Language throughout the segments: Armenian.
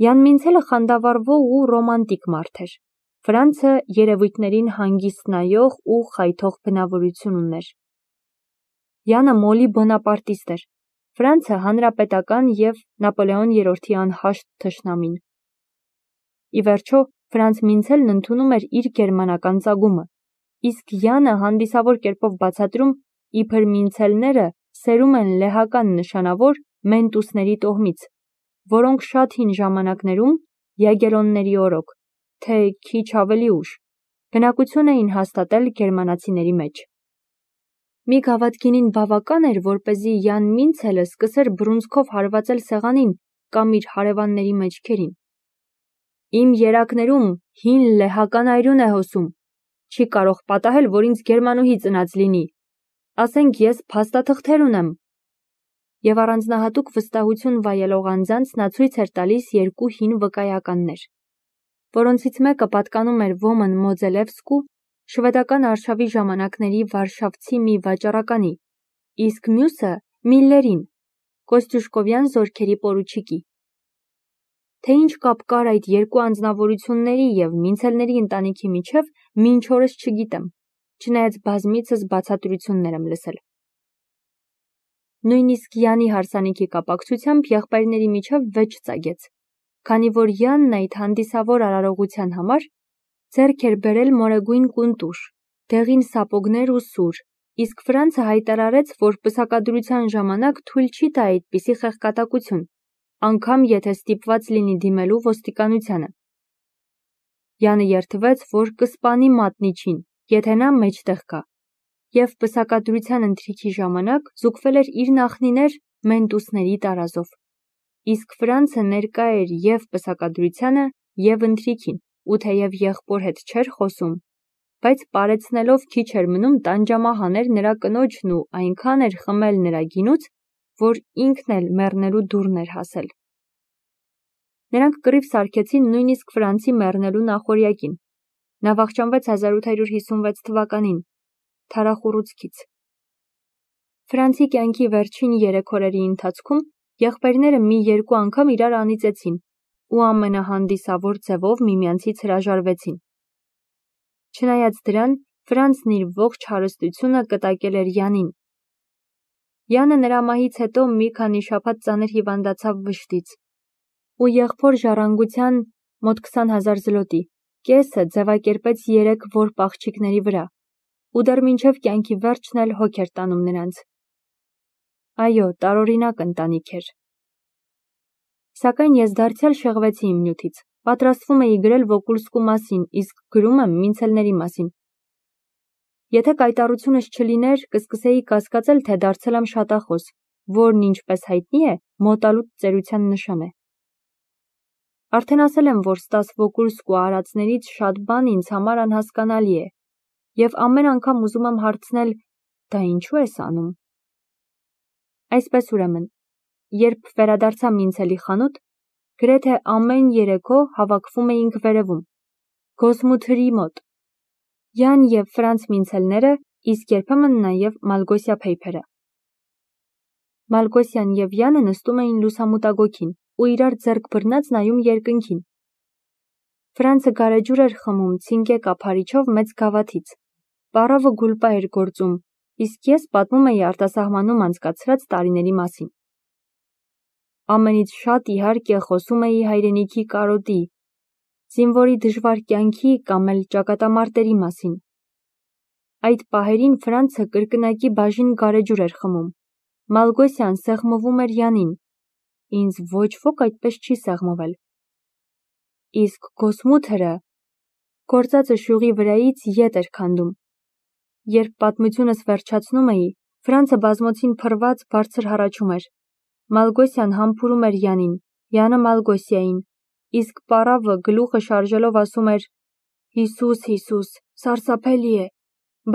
Յան Մինցելը խանդավառվող ու ռոմանտիկ մարդ էր։ Ֆրանցը երևույթներին հանգիստ նայող ու խայթող բնավորություն ուներ։ Յանը մոլի բոնապարտիստ էր, Ֆրանցը հանրապետական և Նապոլեոն III-ի անհաշտ թշնամին։ Ի վերջո, Ֆրանց Մինցելն ընդունում էր իր գերմանական ծագումը, իսկ Յանը հանդիսավոր կերպով բացատրում, իբր Մինցելները սերում են լեհական նշանավոր մենտուսների տոհմից, որոնք շատ հին ժամանակներում յագելոնների օրոք, թե քիչ ավելի ուշ, բնակություն էին հաստատել գերմանացիների մեջ։ Մի գավաթ գինին բավական էր, որպեսզի Յան Մինցելը սկսեր բռունցքով հարվածել սեղանին կամ իր հարևանների մեջքերին։ Իմ երակներում հին լեհական այրուն է հոսում, չի կարող պատահել, որ ինձ գերմանուհի ծնած լինի, ասենք ես փաստաթղթեր ունեմ։ Եվ առանձնահատուկ վստահություն վայելող անձանց նա ցույց էր տալիս երկու հին վկայականներ, որոնցից մեկը պատկանում էր Ոմն Մոձելևսկու, շվեդական արշավի ժամանակների վարշավցի մի վաճառականի, իսկ մյուսը Միլլերին, Կոստյուշկովյան զորքերի պորուչիկի։ Թե ինչ կապ կար այդ երկու անձնավորությունների և Մինցելների ընտանիքի միջև, մինչ օրս չգիտեմ, չնայած բազմիցս բացատրություններ եմ լսել։ Նույնիսկ Յանի հարսանիքի կապակցությամբ եղբայրների միջև վեճ ծագեց, քանի որ Յանն այդ հանդիսավոր արարողության համար ձեռք էր բերել մորեգույն կունտուշ, դեղին սապոգներ ու սուր, իսկ Ֆրանցը հայտարարեց, որ պսակադրության ժամանակ թույլ չի տա այդպիսի խեղկատակություն, անգամ եթե ստիպված լինի դիմելու ոստիկանությանը։ Յանը երդվեց, որ կսպանի մատնիչին, եթե նա մեջտեղ գա, և պսակադրության ընթրիքի ժամանակ զուգվել էր իր նախնիներ մենտուսների տարազով, իսկ Ֆրանցը ներկա էր և պսակադրությանը, և ընթրիքին, ու թեև եղբոր հետ չէր խոսում, բայց պարեցնելով քիչ էր մնում տանջամահ նրա կնոջն ու այնքան էր խմել նրա գինուց, որ ինքն էլ մեռնելու դուրն էր հասել։ Նրանք կռիվ սարքեցին նույնիսկ Ֆրանցի մեռնելու նախօրյակին։ Նա վախճանվեց 1856 թվականին, թարախուռուցքից։ Ֆրանցի կյանքի վերջին 3 օրերի ընթացքում եղբայրները մի երկու անգամ իրար անիծեցին ու ամենահանդիսավոր ձևով միմյանցից հրաժարվեցին։ Չնայած դրան, Ֆրանցն իր ողջ հարստությունը կտակել էր Յանին։ Յանը նրա մահից հետո մի քանի շաբաթ ծանր հիվանդացավ վշտից, ու եղբոր ժառանգության մոտ 20,000 զլոտի, կեսը ձևակերպեց 3 որբ աղջիկների վրա, ու դեռ մինչև կյանքի վերջն էլ հոգ էր տանում նրանց։ Այո, տարօրինակ ընտանիք էր։ Սակայն ես դարձյալ շեղվեցի իմ նյութից, պատրաստվում էի գրել Վոկուլսկու մասին, իսկ գրում եմ Մինցելների մասին։ Եթե կայտառությունս չլիներ, կսկսեի կասկածել, թե դարձել եմ շատախոս, որն ինչպես հայտնի է, մոտալուտ ծերության նշան է։ Արդեն ասել եմ, որ Ստաս Վոկուլսկու արածներից շատ բան ինձ համար անհասկանալի է, և ամեն անգամ ուզում եմ հարցնել, դա ինչու ես անում։ Այսպես ուրեմն, երբ վերադարձա Մինցելի խանութ, գրեթե ամեն երեկո հավաքվում էինք վերևում, Գոսմութրի մոտ, Յան և Ֆրանց Մինցելները, իսկ երբեմն նաև Մալգոսիա Փեյփերը։ Մալգոսյան և Յանը նստում էին լուսամուտագոգին ու իրար ձեռք բռնած նայում երկնքին։ Ֆրանցը գարեջուր էր խմում ցինկե կափարիչով մեծ գավաթից, պառավը գուլպա էր գործում, իսկ ես պատմում էի արտասահմանում անցկացրած տարիների մասին։ Ամենից շատ իհարկե խոսում էի հայրենիքի կարոտի, զինվորի դժվար կյանքի կամ էլ ճակատամարտերի մասին։ Այդ պահերին Ֆրանցը կրկնակի բաժին գարեջուր էր խմում, Մալգոսյան սեղմվում էր Յանին, ինձ ոչ ոք այդպես չի սեղմվել։ Իսկ Գոսմութրը գործածը շյուղի վրայից ետ էր քանդում։ Երբ պատմությունս վերջացնում էի, Ֆրանցը բազմոցին փռված բարձր հառաչում էր։ Մալգոսյան համբուրում էր Յանին, Յանը Մալգոսիային, իսկ պառավը գլուխը շարժելով ասում էր. Հիսուս, Հիսուս, սարսափելի է,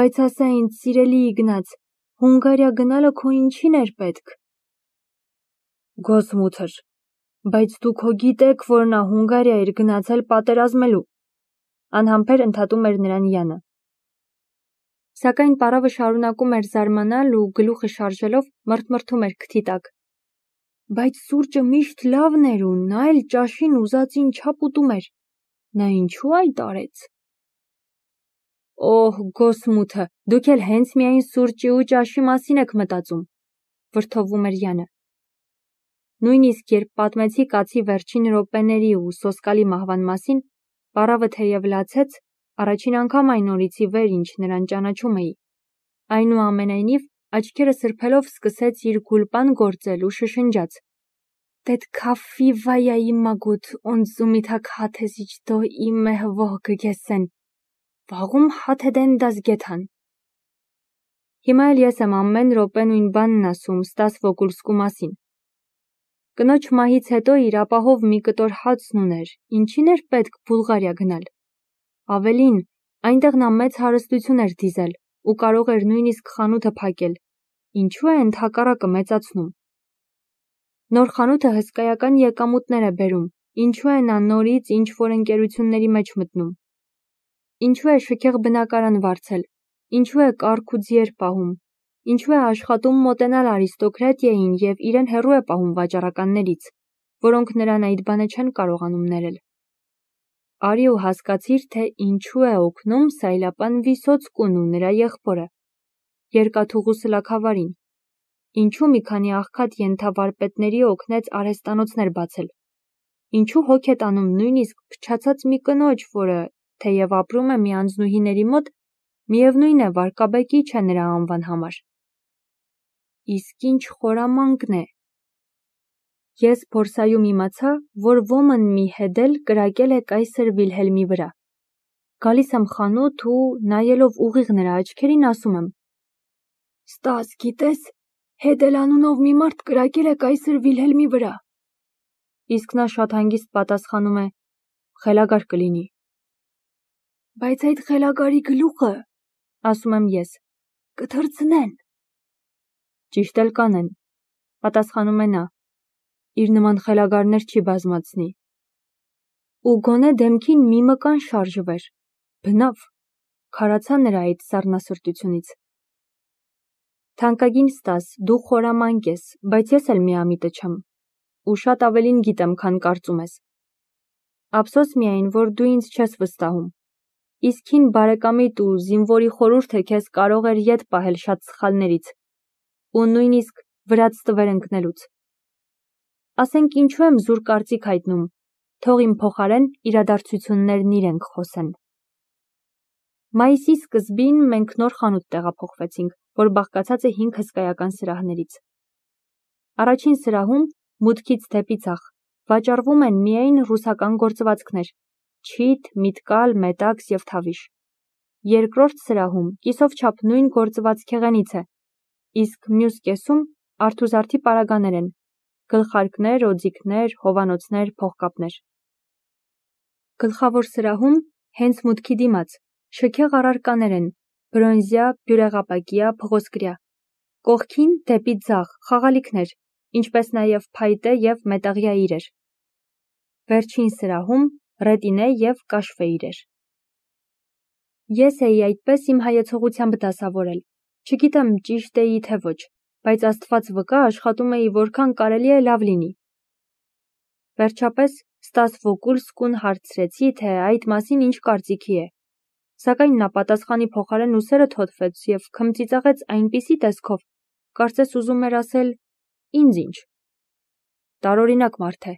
բայց ասա ինձ, սիրելի Իգնաց, Հունգարիա գնալը քո ինչին էր պետք։ Գոսմութր, բայց դուք հո գիտեք, որ նա Հունգարիա էր գնացել պատերազմելու։ Անհամբեր ընդհատում էր նրան Յանը։ Սակայն պառավը շարունակում էր զարմանալ ու գլուխը շարժելով մռթմռթում էր քթի տակ։ Բայց սուրճը միշտ լավն էր ու նա էլ ճաշին ուզածին չափ ուտում էր։ Նա ինչու այդ արեց։ Օհ, գոսմութը, դուք էլ հենց միայն սուրճի ու ճաշի մասին եք մտածում, վրդովում էր Յանը։ Նույնիսկ երբ պատմեցի կացի վերջին րոպեների ու սոսկալի մահվան մասին, պարավը թեև լացեց, առաջին անգամ այն օրից ի վեր ինչ նրան ճանաչում էի։ Այնուամենայնիվ, աչքերը սրբելով սկսեց իր գուլպան գործել ու շշնջաց. Դեդ քաֆիվայայի մագուտ օնզումիթակ հաթեզիչ դո իմե հվող գգեսեն։ Վաղում հաթեդեն դաս գեթան։ Հիմա էլ ես եմ ամեն րոպե նույն բանն ասում Ստաս Վոկուլսկու մասին։ Կնոջ մահից հետո իր ապահով մի կտոր հացն ուներ, ինչին էր պետք Բուլղարիա գնալ։ Ավելին, այնտեղ նա մեծ հարստություն էր դիզել ու կարող էր նույնիսկ խանութը փակել, ինչու է ընդհակառակը մեծացնում։ Նոր խանութը հսկայական եկամուտներ է բերում, ինչու է նա նորից ինչ-որ ընկերությունների մեջ մտնում։ Ինչու է շքեղ բնակարան վարձել, ինչու է կառք ու ձիեր պահում, ինչու է աշխատում մոտենալ արիստոկրատիային և իրեն հեռու է պահում վաճառականներից, որոնք նրան այդ բանը չեն կարողանում ներել։ Արի ու հասկացիր, թե ինչու է օգնում Սայլապան Վիսոցկուն ու նրա եղբորը, երկաթուղու սլաքավարին, ինչու մի քանի աղքատ ենթավարպետների օգնեց արհեստանոցներ բացել, ինչու հոգ է տանում նույնիսկ փչացած մի կնոջ, որը, թեև ապրում է մի անձնուհիների մոտ, միևնույն է վարկաբեկիչ է նրա անվան համար։ Իսկ ինչ խորամանկն է։ Ես փորսայում իմացա, որ ոմն մի հետել կրակել է կայսր Վիլհելմի վրա։ Գալիս եմ խանութ ու նայելով ուղիղ նրա աչքերին ասում եմ. Ստաս, գիտես, հետել անունով մի մարդ կրակել է կայսր Վիլհելմի վրա։ Իսկ նա շատ հանգիստ պատասխանում է. խելագար կլինի։ Բայց այդ խելագարի գլուխը, ասում եմ ես, կթռցնեն։ Ճիշտ էլ կանեն, պատասխանում է նա, իր նման խելագարներ չի բազմացնի։ Ու գոնե դեմքին մի մկան շարժվեր, բնավ, քարացա նրա այդ սառնասրտությունից։ Թանկագին Ստաս, դու խորամանկ ես, բայց ես էլ միամիտը չեմ, ու շատ ավելին գիտեմ, քան կարծում ես։ Ափսոս միայն, որ դու ինձ չես վստահում։ Իսկ հին բարեկամիդ ու զինվորի խորհուրդը քեզ կարող էր ետ պահել շատ սխալներից ու նույնիսկ վրաց տվեր ընկնելուց։ Ասենք ինչու եմ զուր կարծիք հայտնում, թող իմ փոխարեն իրադարձություններն իրենք խոսեն։ Մայիսի սկզբին մենք նոր խանութ տեղափոխվեցինք, որ բաղկացած է 5 հսկայական սրահներից։ Առաջին սրահում, մուտքից դեպի ցախ, վաճառվում են միայն ռուսական գործվածքներ՝ չիթ, միտկալ, մետաքս և թավիշ։ Երկրորդ սրահում կիսով չափ նույն գործվածքեղենից է, իսկ մյուս կեսում արթուզարդի պարագաներ են, գլխարկներ, օձիքներ, հովանոցներ, փողկապներ։ Գլխավոր սրահում, հենց մուտքի դիմաց, շքեղ առարկաներ են, բրոնզյա, բյուրեղապակյա, փղոսկրյա։ Կողքին դեպի ձախ խաղալիքներ, ինչպես նաև փայտե և մետաղյա իրեր։ Վերջին սրահում ռետինե և կաշվե իրեր։ Ես էի այդպես իմ հայեցողությամբ դասավորել, չգիտեմ ճիշտ էի թե ոչ, բայց Աստված վկա աշխատում էի որքան կարելի է լավ լինի։ Վերջապես Ստաս Վոկուլսկուն հարցրեցի, թե այդ մասին ինչ կարծիքի է, սակայն նա պատասխանի փոխարեն ուսերը թոթվեց և քմծիծաղեց այնպիսի տեսքով, կարծես ուզում էր ասել. ինձ ինչ։ Տարօրինակ մարդ է։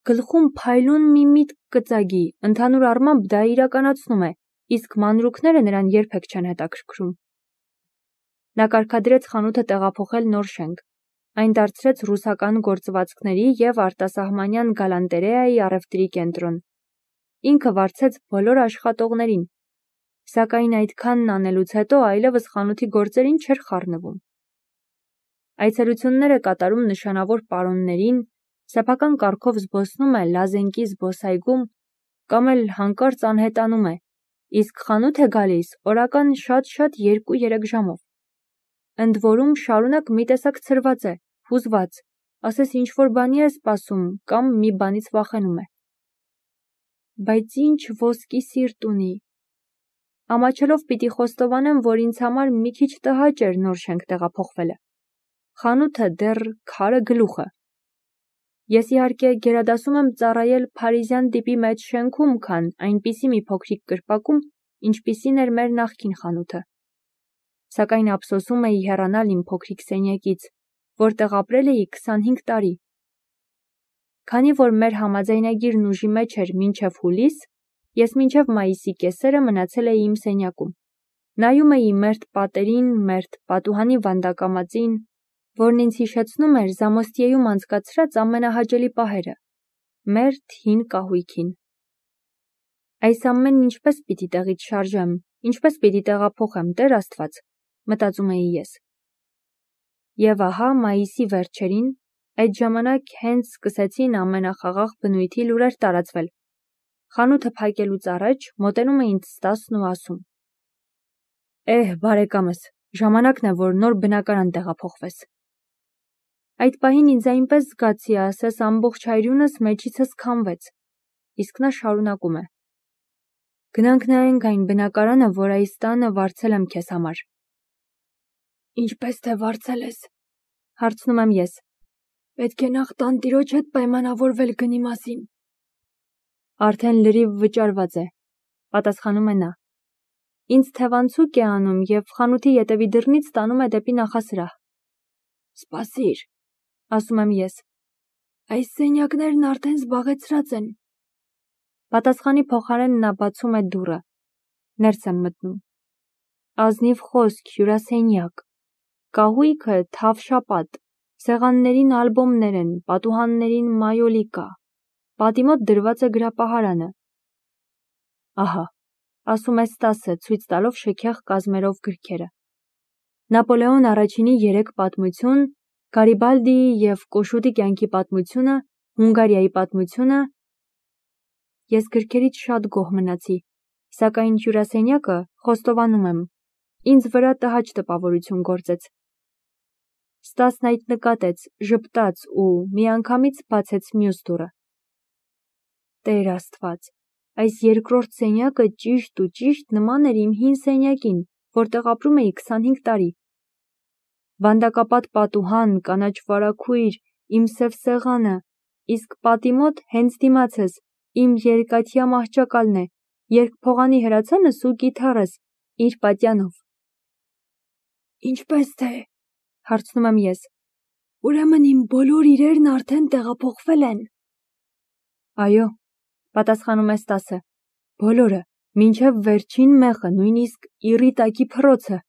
Գլխում փայլուն մի միտք կծագի, ընդհանուր առմամբ դա իրականացնում է, իսկ մանրուքները նրան երբեք չեն հետաքրքրում։ Նա կարգադրեց խանութը տեղափոխել նոր շենք, այն դարձրեց ռուսական գործվածքների և արտասահմանյան գալանտերեայի առևտրի կենտրոն։ Ինքը վարձեց բոլոր աշխատողներին, սակայն այդքանն անելուց հետո այլևս խանութի գործերին չէր խառնվում։ Այցելություններ է կատարում նշանավոր պարոններին, սեփական կարգով զբոսնում է Լազենկի զբոսայգում կամ էլ հանկարծ անհետանում է, իսկ խանութ է գալիս օրական շատ-շատ 2-3 ժամով։ Ընդ որում շարունակ մի տեսակ ցրված է, հուզված, ասես ինչ-որ բանի է սպասում կամ մի բանից վախենում է։ Բայց ինչ ոսկի սիրտ ունի։ Ամաչելով պիտի խոստովանեմ, որ ինձ համար մի քիչ տհաճ էր նոր շենք տեղափոխվելը։ Խանութը դեռ քարը գլուխը, Ես իհարկե գերադասում եմ ծառայել փարիզյան տիպի մեջ շենքում, քան այնպիսի մի փոքրիկ կրպակում, ինչպիսին էր մեր նախկին խանութը։ Սակայն ափսոսում էի հեռանալ իմ փոքրիկ սենյակից, որտեղ ապրել էի 25 տարի։ Քանի որ մեր համաձայնագիրն ուժի մեջ էր մինչև հուլիս, ես մինչև մայիսի կեսերը մնացել էի իմ սենյակում։ Նայում էի մերթ պատերին, մերթ պատուհանի վանդակամածին, որն ինձ հիշեցնում էր Զամոստիեում անցկացրած ամենահաճելի պահերը, մերթ հին կահույքին։ Այս ամենն ինչպես պիտի տեղից շարժեմ, ինչպես պիտի տեղափոխեմ, Տեր Աստված, մտածում էի ես։ Եվ ահա մայիսի վերջերին, այդ ժամանակ հենց սկսեցին ամենախաղաղ բնույթի լուրեր տարածվել։ Խանութը փակելուց առաջ մոտենում է ինձ Ստասն ու ասում. բարեկամս, ժամանակն է, որ նոր բնակարան տեղափոխվես։ Այդ պահին ինձ այնպես զգացի, ասես ամբողջ հայրյունս մեջիցս քամվեց, իսկ նա շարունակում է. Գնանք նայենք այն բնակարանը, որ այս տանը վարձել եմ քեզ համար։ Ինչպես թե վարձել ես, հարցնում եմ ես։ Պետք է նախ տանտիրոջ հետ պայմանավորվել գնի մասին։ Արդեն լրիվ վճարված է, պատասխանում է նա։ Ինձ թևանցուկ է անում և խանութի ետևի դռնից տանում է դեպի նախասրահ։ Սպասիր, ասում եմ ես։ Այս սենյակներն արդեն զբաղեցրած են։ Պատասխանի փոխարեն նա բացում է դուռը։ Ներս եմ մտնում։ Ազնիվ խոսք, հյուրասենյակ։ Կահույքը թավշապատ, սեղաններին ալբոմներ են, պատուհաններին մայոլի կա։ Պատի մոտ դրված է գրապահարանը։ Ահա, ասում է Ստասը, ցույց տալով շքեղ կազմերով գրքերը։ Նապոլեոն առաջինի 3 պատմություն, Գարիբալդիի և Կոշուտի կյանքի պատմությունը, Հունգարիայի պատմությունը։ Ես գրքերից շատ գոհ մնացի, սակայն հյուրասենյակը խոստովանում եմ, ինձ վրա տհաճ տպավորություն գործեց։ Ստասն այդ նկատեց, ժպտաց ու միանգամից բացեց մյուս դուռը։ Տեր Աստված, այս երկրորդ սենյակը ճիշտ ու ճիշտ նման էր իմ հին սենյակին, որտեղ ապրում էի 25 տարի։ Վանդակապատ պատուհան, կանաչ վարագույր, իմ սև սեղանը, իսկ պատի մոտ հենց դիմացս իմ երկաթյա մահճակալն է, երկփողանի հրացանս ու կիթառս իր պատյանով։ Ինչպես թե, հարցնում եմ ես, ուրեմն իմ բոլոր իրերն արդեն տեղափոխվել են։ Այո, պատասխանում է Ստասը, բոլորը, մինչև վերջին մեղը, նույնիսկ իռի տակի փռոցը։